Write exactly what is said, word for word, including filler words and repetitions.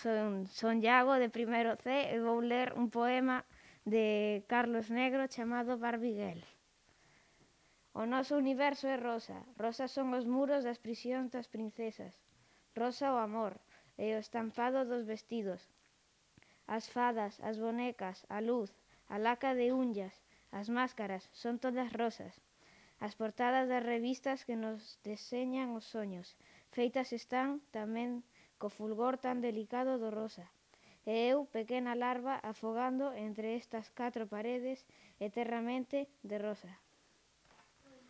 son, son Iago de primeiro C e vou ler un poema de Carlos Negro chamado Barbiguel. O noso universo é rosa, rosas son os muros das prisións das princesas, rosa o amor e o estampado dos vestidos, as fadas, as bonecas, a luz, a laca de unllas, as máscaras, son todas rosas. As portadas das revistas que nos deseñan os soños, feitas están tamén co fulgor tan delicado do rosa. E eu, pequena larva, afogando entre estas catro paredes eternamente de rosa.